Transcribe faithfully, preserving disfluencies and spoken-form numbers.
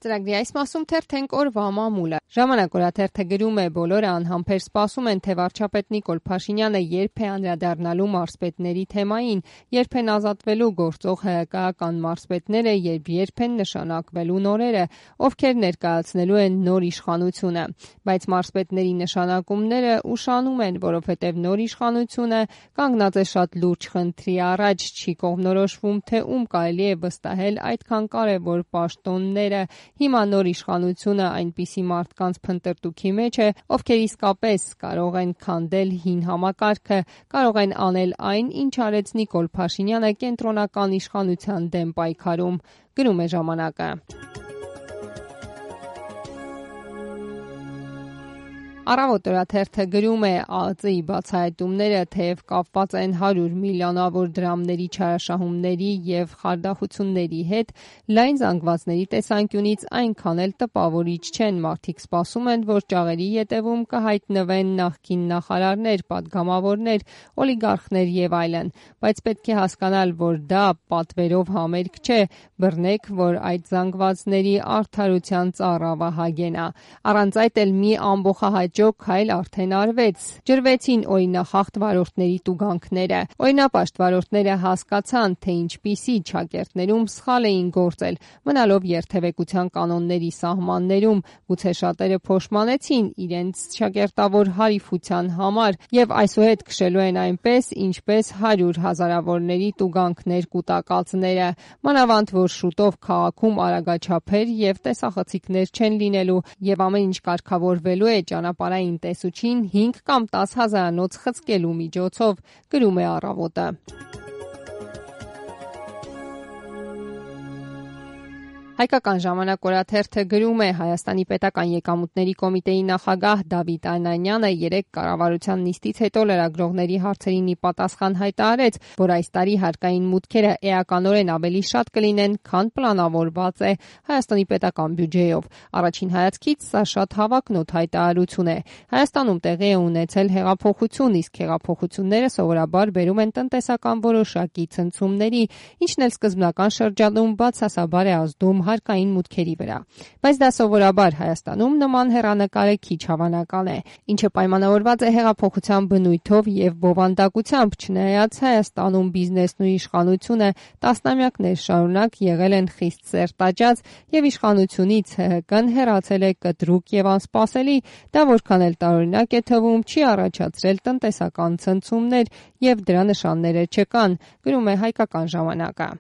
Ծրագրի այս մասում թերթենք օրվա մամուլը։ Ժամանակ օրաթերթը գրում է՝ բոլորը անհամբեր սպասում են, թե վարչապետ Նիկոլ Փաշինյանը երբ է անդրադառնալու մարզպետների թեմային, երբ են ազատվելու գործող հայկական մարզպետները եւ երբ են նշանակվելու նորերը, ովքեր ներկայացնելու են նոր իշխանությունը։ Բայց մարզպետների նշանակումները ուշանում են, որովհետեւ նոր իշխանությունը կանգնած է շատ լուրջ խնդրի առաջ, չի կողմնորոշվում, թե ում կարելի է վստահել այդքան կարևոր պաշտոնները։ Հիմա նոր իշխանությունը այնպիսի մարդկանց փնտրտուքի մեջ է, ովքեր իսկապես կարող են քանդել հին համակարգը, կարող են անել այն, ինչ արեց Նիկոլ Փաշինյանը կենտրոնական իշխանության դեմ պայքարում, գրում է ժամանակը։ Առավոտ օրաթերթը գրում է՝ ԱԱԾ-ի բացահայտումները թեև կապված են հարյուր միլիոնավոր դրամների չարաշահումների եւ խարդախությունների հետ, լայն զանգվածների տեսանկյունից այնքան էլ տպավորիչ չեն։ Մարդիկ սպասում են, որ ճաղերի ետևում կհայտնվեն նախկին նախարարներ, պատգամավորներ, օլիգարխներ եւ այլն, բայց պետք է հասկանալ, որ դա պատվերով համերգ չէ, բռնեք, որ այդ զանգվածների արդարության ծառավահագեն է։ Առանց այդ էլ մի ամբողջահայ քայլ արդեն արվեց։ Ջրվեցին օրինախախտ վարորդների տուգանքները։ Օրինապաշտ վարորդները հասկացան, թե ինչպիսի չակերտներում սխալ էին գործել, մնալով երթևեկության կանոնների սահմաններում, գուցե շատերը փոշմանեցին իրենց չակերտավոր հարիֆության համար եւ այսուհետ քշելու են այնպես, ինչպես հարյուր հազարավորների տուգանքներ կուտակածները։ Մանավանդ որ շուտով քաղաքում արագաչափեր եւ տեսախցիկներ չեն լինելու եւ ամեն ինչ կարգավորվելու է ճանապարհային տեսուչին հինգ կամ տաս հազարանոց խցկելու միջոցով, գրում է Առավոտը։ Հայկական ժամանակ օրաթերթը գրում է՝ Հայաստանի պետական եկամուտների կոմիտեի նախագահ Դավիթ Անանյանը երեկ կառավարության նիստից հետո լրագրողների հարցերին ի պատասխան հայտարարեց, որ այս տարի հարկային մուտքերը էականորեն ավելի շատ կլինեն, քան պլանավորված է Հայաստանի պետական բյուջեով։ Առաջին հայացքից սա շատ հավակնոտ հայտարարություն է։ Հայաստանում տեղի է ունեցել հեղափոխություն, իսկ հեղափոխությունները սովորաբար բերում են տնտեսական որոշակի ցնցումների, ինչն էլ սկզբնական շրջանում բացասաբար է ազդում հարկային մուտքերի վրա։ Բայց դա սովորաբար Հայաստանում նման հեռանկարը քիչ հավանական է, ինչը պայմանավորված է հեղափոխության բնույթով եւ բովանդակությամբ, չնայած Հայաստանում բիզնեսն ու իշխանությունը տասնամյակներ շարունակ եղել են խիստ սերտաճած եւ իշխանությունից ՀՀԿ-ն հեռացել է կտրուկ եւ անսպասելի, դա որքան էլ տարօրինակ է թվում, չի առաջացրել տնտեսական ցնցումներ եւ դրա նշանները չկան, գրում է Հայկական ժամանակը։